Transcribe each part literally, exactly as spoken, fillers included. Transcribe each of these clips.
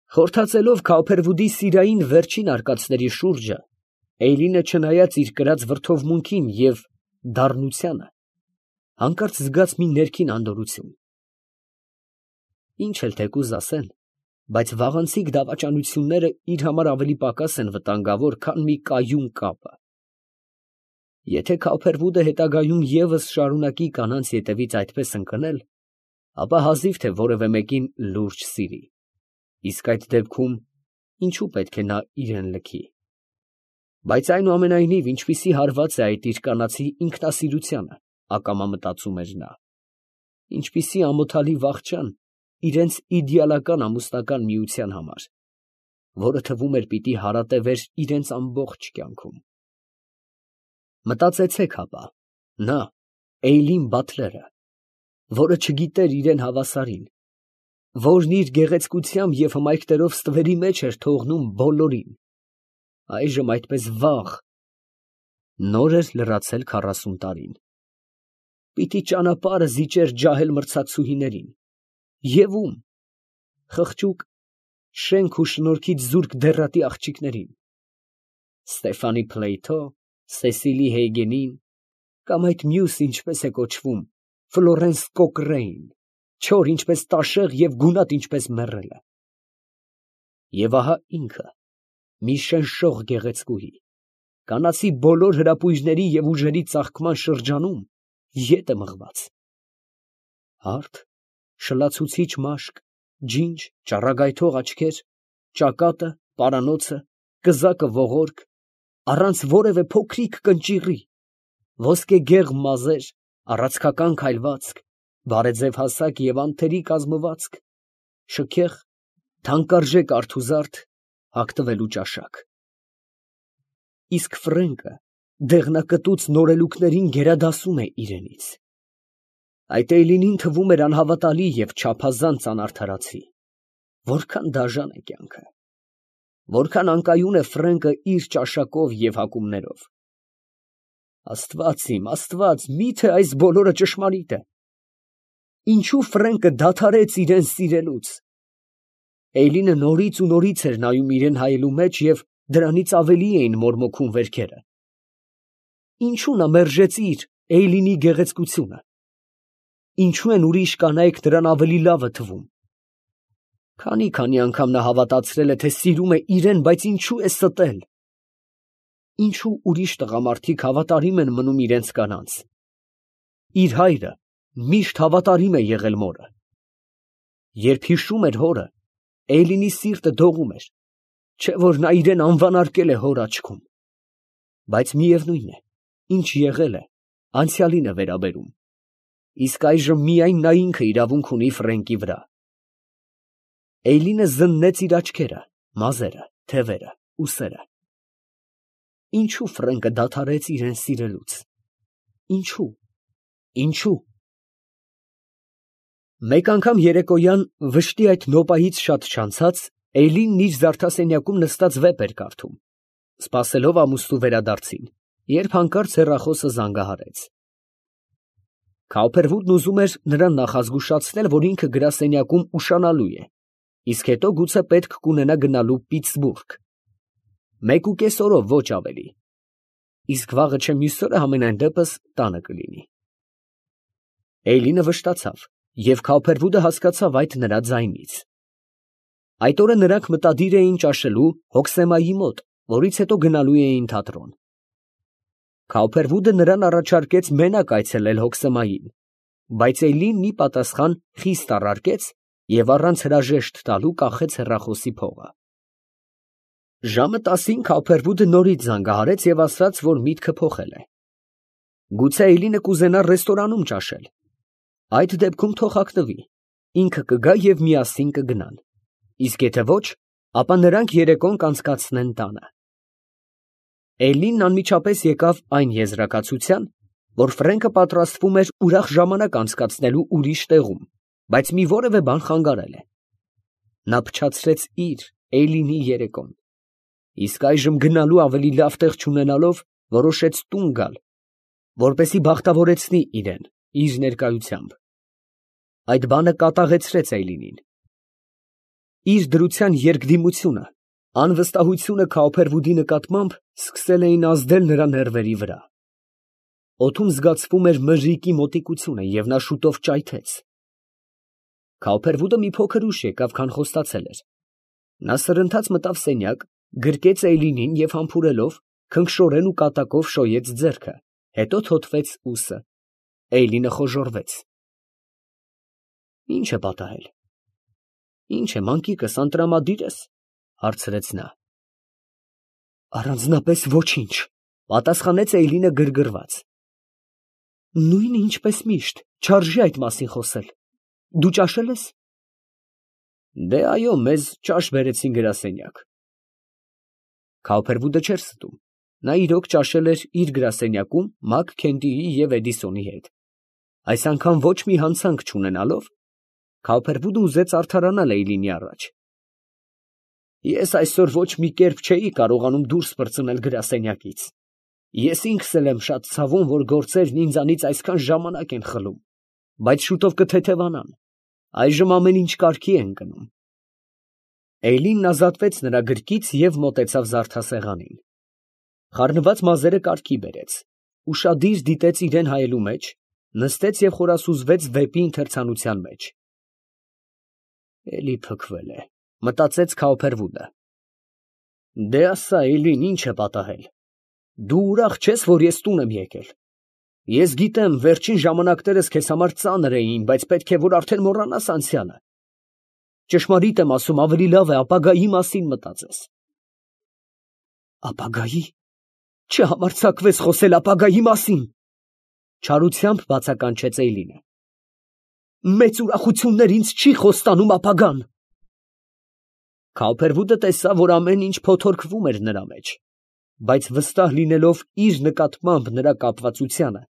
Խորթացելով Քավփերվուդի սիրային վերջին արկածների շուրջը, Էյլինը չնայած իր կրած վրդովմունքին և դառնությանը, հանկարծ զգաց մի ներքին անդորրություն. ինչ էլ թեկուզ ասեն, բայց վաղանցիկ դավաճանությունները իր համար ավելի պակաս են վտանգավոր, քան մի կայուն կապը. եթե Քավփերվուդը հետագայում ևս շարունակի կանանց ետևից այդպես ընկնել, ապա հազիվ թե որևէ մեկին լուրջ սիրի, իսկ այդ դեպքում ինչու պետք է նա իրան լքի. բայց այնուամենայնիվ ինչպիսի հարված է այդ իր կանացի ինքնասիրությանը, ակամա մտածում էր նա, ինչպիսի ամոթալի վախճան իրենց իդեալական ամուսնական միության համար, որը թվում էր պիտի հարատևեր իրենց ամբողջ կյանքում. մտածեցեք հապա, նա, Էյլին Բաթլերը, որը չգիտեր իրան հավասարին, որն իր գեղեցկությամբ և հմայքներով ստվերի մեջ էր թողնում բոլորին, այժմ այդպես վաղ, նոր էր լրացել քառասուն տարին, պիտի ճանապարհը զիջեր ջահել մրցակցուհիներին, և ո՞ւմ, խղճուկ, շենք ու շնորքից զուրկ դեռատի աղջիկներին, Ստեֆանի Փլեյթո, Սեսիլի Հեյգենին, կամ այդ մյուս, ինչպես է կոչվում, Ֆլորենս Կոկրեին, չոր ինչպես տաշեղ և գունատ ինչպես մեռելը… Եվ ահա ինքը, մի շնշող գեղեցկուհի, կանացի բոլոր հրապույրների և ուժերի ծաղկման շրջանում, ետ է մղված… հարթ, շլացուցիչ մաշկ, ջինջ, ճառագայթող աչքեր, ճակատը, պարանոցը, կզակը ողորկ, առանց որևէ փոքրիկ կնճիռի, ոսկեգեղ մազեր, առացքական քայլվածք, բարեձև հասակ և անթերի կազմվածք, շքեղ, թանկարժեք արթուզարդ, հագնվելու ճաշակ… Իսկ Ֆրենկը դեղնակտուց նորելուկներին գերադասում է իրենից… Այդ Էյլինին թվում էր անհավատալի և չափազանց անարդարացի… որքան դաժան է կյանքը… որքան անկայուն է Ֆրենկը իր ճաշակով և հագումներով… Աստված իմ, Աստված, մի՞թե այս բոլորը ճշմարիտ է… ինչո՞ւ Ֆրենկը դադարեց իրան սիրելուց… Էյլինը նորից ու նորից էր նայում իրան հայելու մեջ և դրանից ավելի էին մորմոքում վերքերը… ինչո՞ւ նա մերժեցիր Էյլինի գեղեցկությունը… ինչո՞ւ են ուրիշ կանայք նրան ավելի լավը թվում… քանի՜֊քանի՜ անգամ նա հավատացրել է, թե սիրում է իրան, բայց ինչո՞ւ է ստել… ինչո՞ւ ուրիշ տղամարդիկ հավատարիմ են մնում իրենց կանանց… իր հայրը միշտ հավատարիմ է եղել մորը… երբ հիշում էր հորը, Էյլինի սիրտը դողում էր, չէ՞ որ նա իրան անվանարկել է հոր աչքում… բայց միևնույն է, ինչ եղել է, անցյալին է վերաբերում… իսկ այժմ միայն նա ինքը իրավունք ունի Ֆրենկի վրա… Էյլինը զննեց իր աչքերը, մազերը, թևերը, ուսերը… ինչո՞ւ Ֆրենկը դադարեց իրան սիրելուց… ինչո՞ւ… ինչո՞ւ… Մեկ անգամ երեկոյան, վշտի այդ նոպայից շատ չանցած, Էյլինն իր զարդասենյակում նստած վեպ էր կարդում, սպասելով ամուսնու վերադարձին, երբ հանկարծ հեռախոսը զանգահարեց… Քավփերվուդն ուզում էր նրան նախազգուշացնել, որ ինքը գրասենյակում ուշանալու է, իսկ հետո գուցե պետք կունենա գնալու Պիտսբուրգ… մեկուկես օրով, ոչ ավելի… իսկ վաղը չէ մյուս օրը համենայն դեպս տանը կլինի… Էյլինը վշտացավ, և Քավփերվուդը հասկացավ այդ նրա ձայնից… Այդ օրը նրանք մտադիր էին ճաշելու Հոքսեմայի մոտ, որից հետո գնալու էին թատրոն… Քավփերվուդը նրան առաջարկեց մենակ այցելել Հոքսեմային, բայց Էյլինն ի պատասխան խիստ առարկեց և առանց հրաժեշտ տալու կախեց հեռախոսի փողը… Ժամը տասին Քավփերվուդը նորից զանգահարեց և ասաց, որ միտքը փոխել է… գուցե Էյլինը կուզենա ռեստորանում ճաշել… այդ դեպքում թող հագնվի, ինքը կգա և միասին կգնան… իսկ եթե ոչ, ապա նրանք երեկոն կանցկացնեն տանը… Էյլինն անմիջապես եկավ այն եզրակացության, որ Ֆրենկը պատրաստվում էր ուրախ ժամանակ անցկացնելու ուրիշ տեղում, բայց մի որևէ բան խանգարել է… նա փչացրեց իր, Էյլինի երեկոն… իսկ այժմ գնալու ավելի լավ տեղ չունենալով, որոշեց տուն գալ, որպեսզի բախտավորեցնի իրան իր ներկայությամբ… Այդ բանը կատաղեցրեց Էյլինին… Իր դրության երկդիմությունը, անվստահությունը Քաուփերվուդի նկատմամբ սկսել էին ազդել նրա ներվերի վրա։ Օդում զգացվում էր մրրիկի մոտիկությունը, և նա շուտով ճայթեց։ Քաուփերվուդը մի փոքր ուշ եկավ, քան խոստացել էր։ Նա սրընթաց մտավ սենյակ, գրկեց Էյլինին և համբուրելով, քնքշորեն ու կատակով շոյեց ձեռքը, հետո թոթվեց ուսը։ Էյլինը խոժոռվեց։ Ի՞նչ է պատահել։ Ի՞նչ է, մանկիկս, անտրամադի՞ր ես, հարցրեց նա։ Առանձնապես ոչինչ, պատասխանեց Էյլինը գրգռված։ Նույնը ինչպես միշտ, չարժե այդ մասին խոսել։ Դու ճաշել ես։ Դե այո, մեզ ճաշ բերեցին գրասենյակ։ Քաուփերվուդը չէր ստում։ Նա իրոք ճաշել էր իր գրասենյակում Մակ Քենթիի և Էդիսոնի հետ։ Այս անգամ ոչ մի հանցանք չունենալով, Քաուփերվուդը ուզեց արդարանալ Էյլինի առաջ։ Ես այսօր ոչ մի կերպ չէի կարողանում դուրս պրծնել գրասենյակից։ Ես ինքս էլ եմ շատ ցավում, որ գործերն ինձանից այսքան ժամանակ են խլում, բայց շուտով կթեթևանան։ Այժմ ամեն ինչ կարգի է ընկնում։ Էյլինն ազատվեց նրա գրկից և մոտեցավ զարդասեղանին։ Խառնված մազերը կարգի բերեց, ուշադիր դիտեց իրան հայելու մեջ, նստեց և խորասուզվեց վեպի ընթերցանության մեջ։ Էլի փքվել է, մտածեց Քաուփերվուդը։ Դե ասա, Էյլին, ինչ է պատահել։ Դու ուրախ չես, որ ես տուն եմ եկել։ Ես գիտեմ, վերջին ժամանակներս քեզ համար ծանր էին, բայց պետք է որ արդեն մոռանաս անցյալը։ Ճշմարիտ եմ ասում, ավելի լավ է ապագայի մասին մտածես։ Ապագայի։ Չհամարձակվես խոսել ապագայի մասին, չարությամբ բացականչեց Էյլինը։ Մեծ ուրախություններ ինձ չի խոստանում ապագան։ Քաուփերվուդը տեսավ, որ ամեն ինչ փոթորկվում էր նրա մեջ, բայց վստահ լինելով իր նկատմամբ նրա կապվածությանը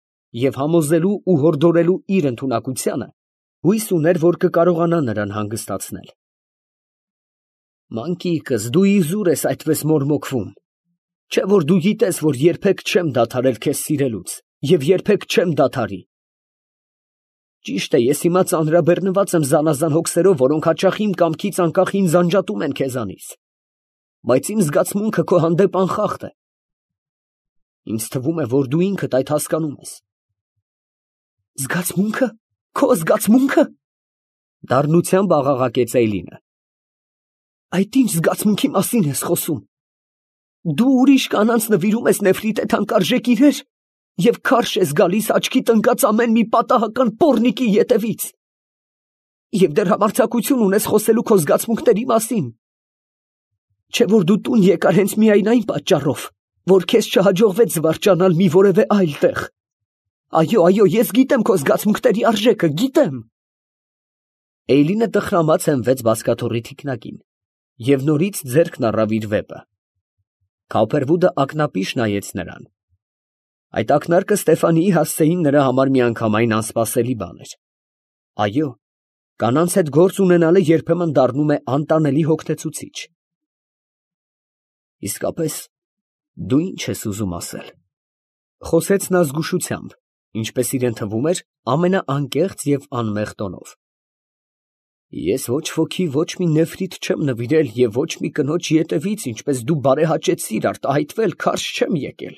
և համոզելու ու հորդորելու իր ընդունակությանը, հույս ուներ, որ կկարողանա նրան հանգստացնել։ Մանկիկս, դու իզուր ես այդպես մորմոքվում։ Չէ՞ որ դու գիտես, որ երբեք չեմ դադարել քեզ սիրելուց և երբեք չեմ դադարի։ Ճիշտ է, ես հիմա ծանրաբեռնված եմ զանազան հոգսերով, որոնք հաճախ իմ կամքից անկախ ինձ անջատում են քեզանից, բայց իմ զգացմունքը քո հանդեպ անխախտ է։ Ինձ թվում է, որ դու ինքդ այդ հասկանում ես։ Զգացմունքը։ Քո զգացմունքը։ Դառնությամբ աղաղակեց Էյլինը։ Այդ ինչ զգացմունքի մասին ես խոսում։ Դու ուրիշ կանանց նվիրում ես նեֆրիտե թանկարժեք իրեր և քարշ ես գալիս աչքիդ ընկած ամեն մի պատահական պոռնիկի ետևից։ Եվ դեռ համարձակություն ունես խոսելու քո զգացմունքների մասին։ Չէ՞ որ դու տուն եկար հենց միայն այն պատճառով, որ քեզ չհաջողվեց զվարճանալ մի որևէ այլ տեղ։ Այո, այո, ես գիտեմ քո զգացմունքների արժեքը, գիտեմ։ Էյլինը տխրամաց հենվեց բազկաթոռի թիկնակին և նորից ձեռքն առավ իր վեպը։ Քաուփերվուդը ակնապիշ նայեց նրան։ Այդ ակնարկը Ստեֆանիի հասցեին նրա համար միանգամայն անսպասելի բան էր։ Այո, կանանց հետ գործ ունենալը երբեմն դառնում է անտանելի հոգնեցուցիչ։ Իսկապես, դու ինչ ես ուզում ասել, խոսեց նա զգուշությամբ, ինչպես իրեն թվում էր, ամենաանկեղծ և անմեղ տոնով։ Ես ոչ ոքի ոչ մի նեֆրիտ չեմ նվիրել և ոչ մի կնոջ ետևից, ինչպես դու բարեհաճեցիր, արտահայտվել քարշ չեմ եկել։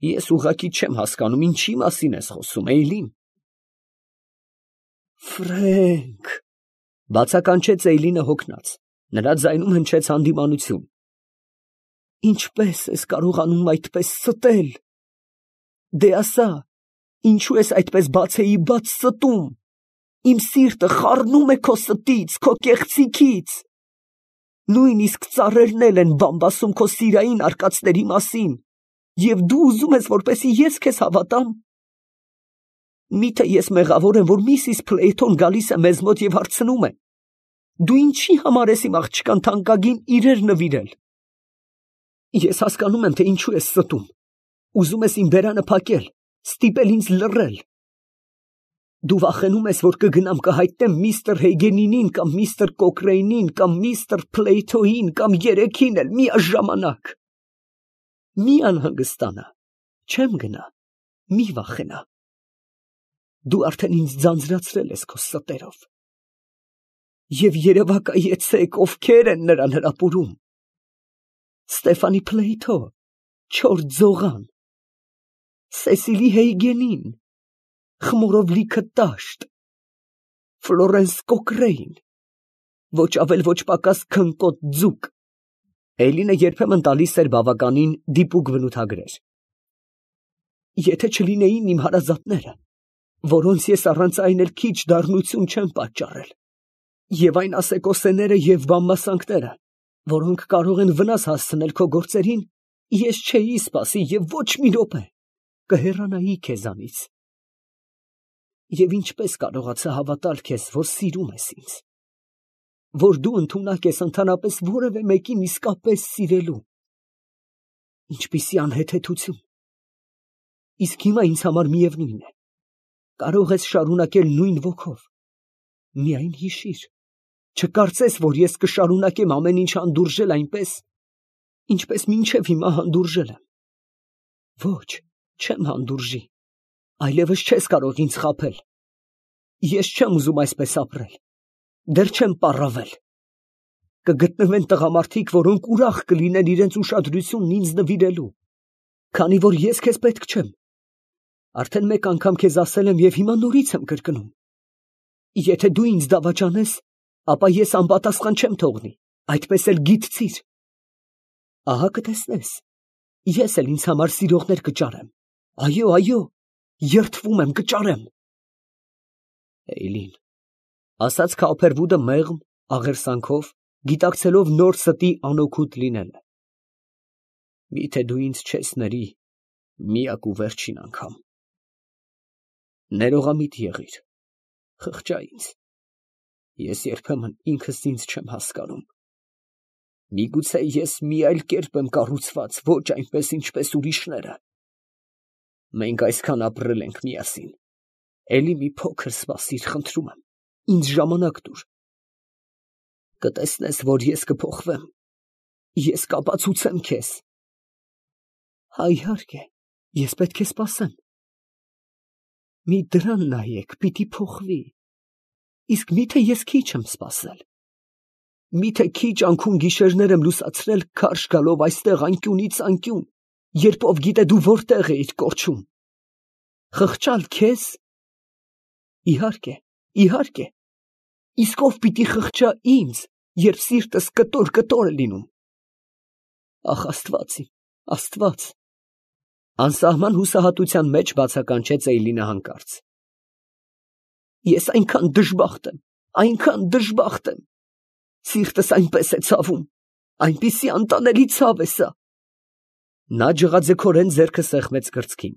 Ես ուղղակի չեմ հասկանում, ինչի մասին ես խոսում, Էյլին։ Ֆրենք, բացականչեց Էյլինը հոգնած, նրա ձայնում հնչեց հանդիմանություն։ Ինչպես ես կարողանում այդպես ստել։ Դե ասա, ինչու ես այդպես բացեիբաց ստում։ Իմ սիրտը խառնում է քո ստից, քո կեղծիքից։ Նույնիսկ ծառերն էլ են բամբասում քո սիրային արկածների մասին, և դու ուզում ես, որպեսզի ես քեզ հավատամ։ Միթե ես մեղավոր եմ, որ միսիս Փլեյթոն գալիս է մեզ մոտ և հարցնում է. դու ինչի համար ես իմ աղջկան թանկագին իրեր նվիրել։ Ես հասկանում եմ, թե ինչու ես ստում։ Ուզում ես իմ բերանը փակել, ստիպել ինձ լռել։ Դու վախենում ես, որ կգնամ կհայտնեմ միստր Հեյգենինին կամ միստր Կոկրեյնին կամ միստր Փլեյթոյին կամ երեքին էլ միաժամանակ։ Մի անհանգստանա, չեմ գնա, մի վախենա։ Դու արդեն ինձ ձանձրացրել ես քո ստերով։ Եվ երևակայեցեք, ովքեր են նրան հրապուրում. Ստեֆանի Փլեյթո, չորս Ձողան, Սեսիլի Հեյգենին, խմորով լիքը տաշտ, Ֆլորենս Կոկրեին, ոչ ավել ոչ պակաս քնկոտ ձուկ։ Էյլինը երբեմն տալիս էր բավականին դիպուկ բնութագրեր։ Եթե չլինեին իմ հարազատները, որոնց ես առանց այն էլ քիչ դառնություն չեմ պատճառել, և այն ասեկոսեները և բամբասանքները, որոնք կարող են վնաս հասցնել քո գործերին, ես չէի սպասի և ոչ մի րոպե կհեռանայի քեզանից։ Եվ ինչպես կարողացա հավատալ քեզ, որ սիրում ես ինձ, որ դու ընդունակ ես ընդհանրապես որևէ մեկին իսկապես սիրելու։ Ինչպիսի անհեթեթություն։ Իսկ հիմա ինձ համար միևնույն է, կարող ես շարունակել նույն ոգով։ Միայն հիշիր, չկարծես, որ ես կշարունակեմ ամեն ինչ հանդուրժել այնպես, ինչպես մինչև հիմա հանդուրժել եմ։ Ոչ, չեմ հանդուրժի, այլևս չես կարող ինձ խաբել։ Ես չեմ ուզում այսպես ապրել, դեռ չեմ պառավել։ Կգտնվեն տղամարդիկ, որոնք ուրախ կլինեն իրենց ուշադրությունն ինձ նվիրելու, քանի որ ես քեզ պետք չեմ։ Արդեն մեկ անգամ քեզ ասել եմ և հիմա նորից եմ կրկնում. եթե դու ինձ դավաճանես, ապա ես անպատասխան չեմ թողնի, այդպես էլ գիտցիր։ Ահա կտեսնես, ես էլ ինձ համար սիրողներ կճարեմ։ Այո, այո, երդվում եմ, կճարեմ։ Էյլին, ասաց Քոփերվուդը մեղմ աղերսանքով, գիտակցելով նոր ստի անօգուտ լինելը։ Միթե դու ինձ չես ների միակ ու վերջին անգամ։ Ներողամիտ եղիր, խղճա ինձ, ես երբեմն ինքս ինձ չեմ հասկանում։ Միգուցե ես մի այլ կերպ եմ կառուցված, ոչ այնպես, ինչպես ուրիշները։ Մենք այսքան ապրել ենք միասին, էլի մի փոքր սպասիր, խնդրում եմ, ինձ ժամանակ տուր։ Կտեսնես, որ ես կփոխվեմ, ես կապացուցեմ քեզ։ Հա, իհարկե, ես պետք է սպասեմ։ Մի դրան նայեք, պիտի փոխվի։ Իսկ միթե ես քիչ եմ սպասել։ Միթե քիչ անքուն գիշերներ եմ լուսացրել քարշ գալով այստեղ անկյունից անկյուն, երբ ով գիտե դու որտեղ էիր կորչում։ Խղճալ քեզ։ Իհարկե, իհարկե։ Իսկ ով պիտի խղճա ինձ, երբ սիրտս կտոր-կտոր է լինում։ Ախ, Աստված իմ, Աստված։ Անսահման հուսահատության մեջ բացականչեց Էյլինը հանկարծ։ Ես այնքան դժբախտ եմ, այնքան դժբախտ եմ։ Սիրտս այնպես է ցավում, այնպիսի անտանելի ցավ է սա։ Նա ջղաձգորեն ձեռքը սեղմեց կրծքին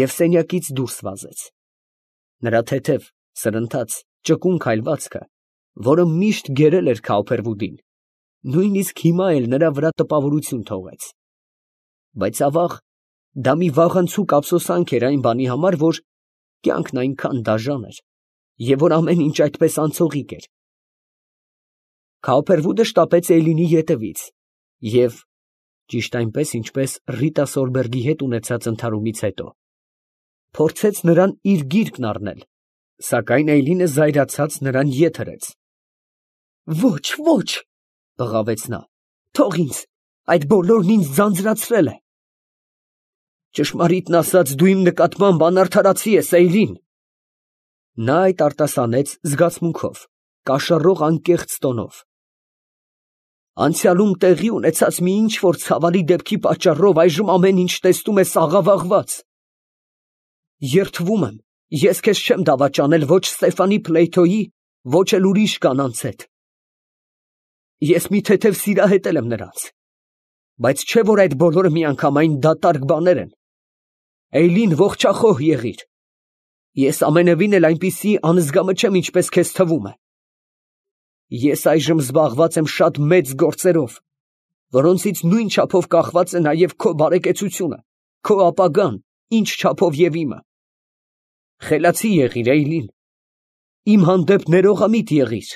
և սենյակից դուրս վազեց։ Նրա թեթև, սրընթաց, ճկուն քայլվածքը, որը միշտ գերել էր Քոփերվուդին, նույնիսկ հիմա էլ նրա վրա տպավորություն թողեց։ Բայց ավաղ, դա մի վաղանցուկ ափսոսանք էր այն բանի համար, որ կյանքն այնքան դաժան էր, և որ ամեն ինչ այդպես անցողիկ էր։ Քոփերվուդը շտապեց Էյլինի ետևից և, ճիշտ այնպես, ինչպես Ռիտա Սոլբերգի հետ ունեցած ընդհարումից հետո, փորձեց նրան իր գիրկն առնել, սակայն Էյլինը զայրացած նրան ետ հրեց։ Ոչ, ոչ, բղավեց նա, թող ինձ, այդ բոլորն ինձ ձանձրացրել է։ Ճշմարիտն ասած, դու իմ նկատմամբ անարդարացի ես, Էյլին։ Նա այդ արտասանեց զգացմունքով, կաշառող անկեղծ տոնով։ Անցյալում տեղի ունեցած մի ինչ֊որ ցավալի դեպքի պատճառով այժմ ամեն ինչ տեսնում ես աղավաղված։ Երդվում եմ, ես քեզ չեմ դավաճանել ոչ Ստեֆանի Փլեյթոյի, ոչ էլ ուրիշ կանանց հետ։ Ես մի թեթև սիրահետել եմ նրանց, բայց չէ՞ որ այդ բոլորը միանգամայն դատարկ բաներ են։ Էյլին, ողջախոհ եղիր։ Ես ամենևին էլ այնպիսի անզգամը չեմ, ինչպես քեզ թվում է։ Ես այժմ զբաղված եմ շատ մեծ գործերով, որոնցից նույն չափով կախված է նաև քո բարեկեցությունը, քո ապագան, ինչ չափով և իմը։ Խելացի եղիր, Էյլին, իմ հանդեպ ներողամիտ եղիր։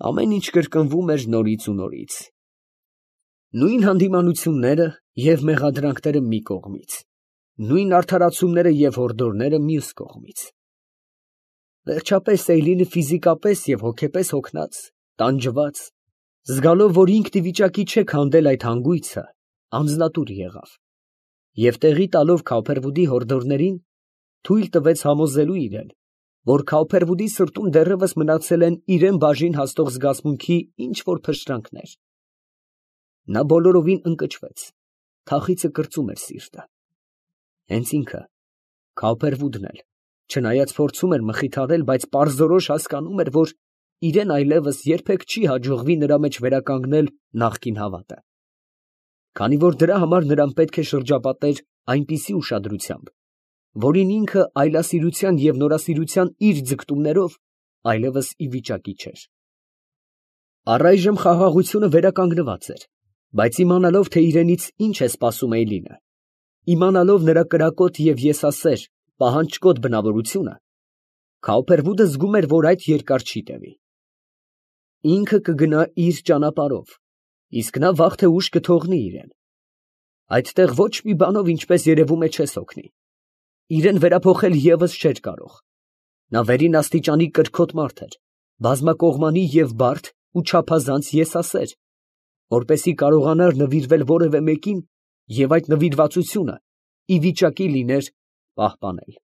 Ամեն ինչ կրկնվում էր նորից ու նորից։ Նույն հանդիմանությունները և մեղադրանքները մի կողմից, նույն արդարացումները և հորդորները մյուս կողմից։ Վերջապես Էյլինը ֆիզիկապես և հոգեպես հոգնած, տանջված, զգալով, որ ինքն ի վիճակի չէ քանդել այդ հանգույցը, անձնատուր եղավ և տեղի տալով Քավփերվուդի հորդորներին, թույլ տվեց համոզելու իրեն, որ Քավփերվուդի սրտում դեռևս մնացել են իրան բաժին հասնող զգացմունքի ինչ որ փշրանքներ։ Նա բոլորովին ընկճվեց, թախիծը կրծում էր սիրտը։ Հենց ինքը, Քավփերվուդն էլ, չնայած փորձում էր մխիթարել, բայց պարզորոշ հասկանում էր, որ իրան այլևս երբեք չի հաջողվի նրա մեջ վերականգնել նախկին հավատը, քանի որ դրա համար նրան պետք է շրջապատեր այնպիսի ուշադրությամբ, որին ինքը այլասիրության և նորասիրության իր ձգտումներով այլևս ի վիճակի չէր։ Առայժմ խաղաղությունը վերականգնված էր, բայց իմանալով, թե իրենից ինչ է սպասում Էյլինը, իմանալով նրա կրակոտ և եսասեր, պահանջկոտ բնավորությունը, Քավփերվուդը զգում էր, որ այդ երկար չի տևի։ Ինքը կգնա իր ճանապարհով, իսկ նա վաղ թե ուշ կթողնի իրան։ Այդտեղ ոչ մի բանով, ինչպես երևում է, չես օգնի։ Իրան վերափոխել ևս չէր կարող։ Նա վերին աստիճանի կրքոտ մարդ էր, բազմակողմանի և բարդ ու չափազանց եսասեր, որպեսզի կարողանար նվիրվել որևէ մեկին և այդ նվիրվածությունը ի վիճակի լիներ պահպանել։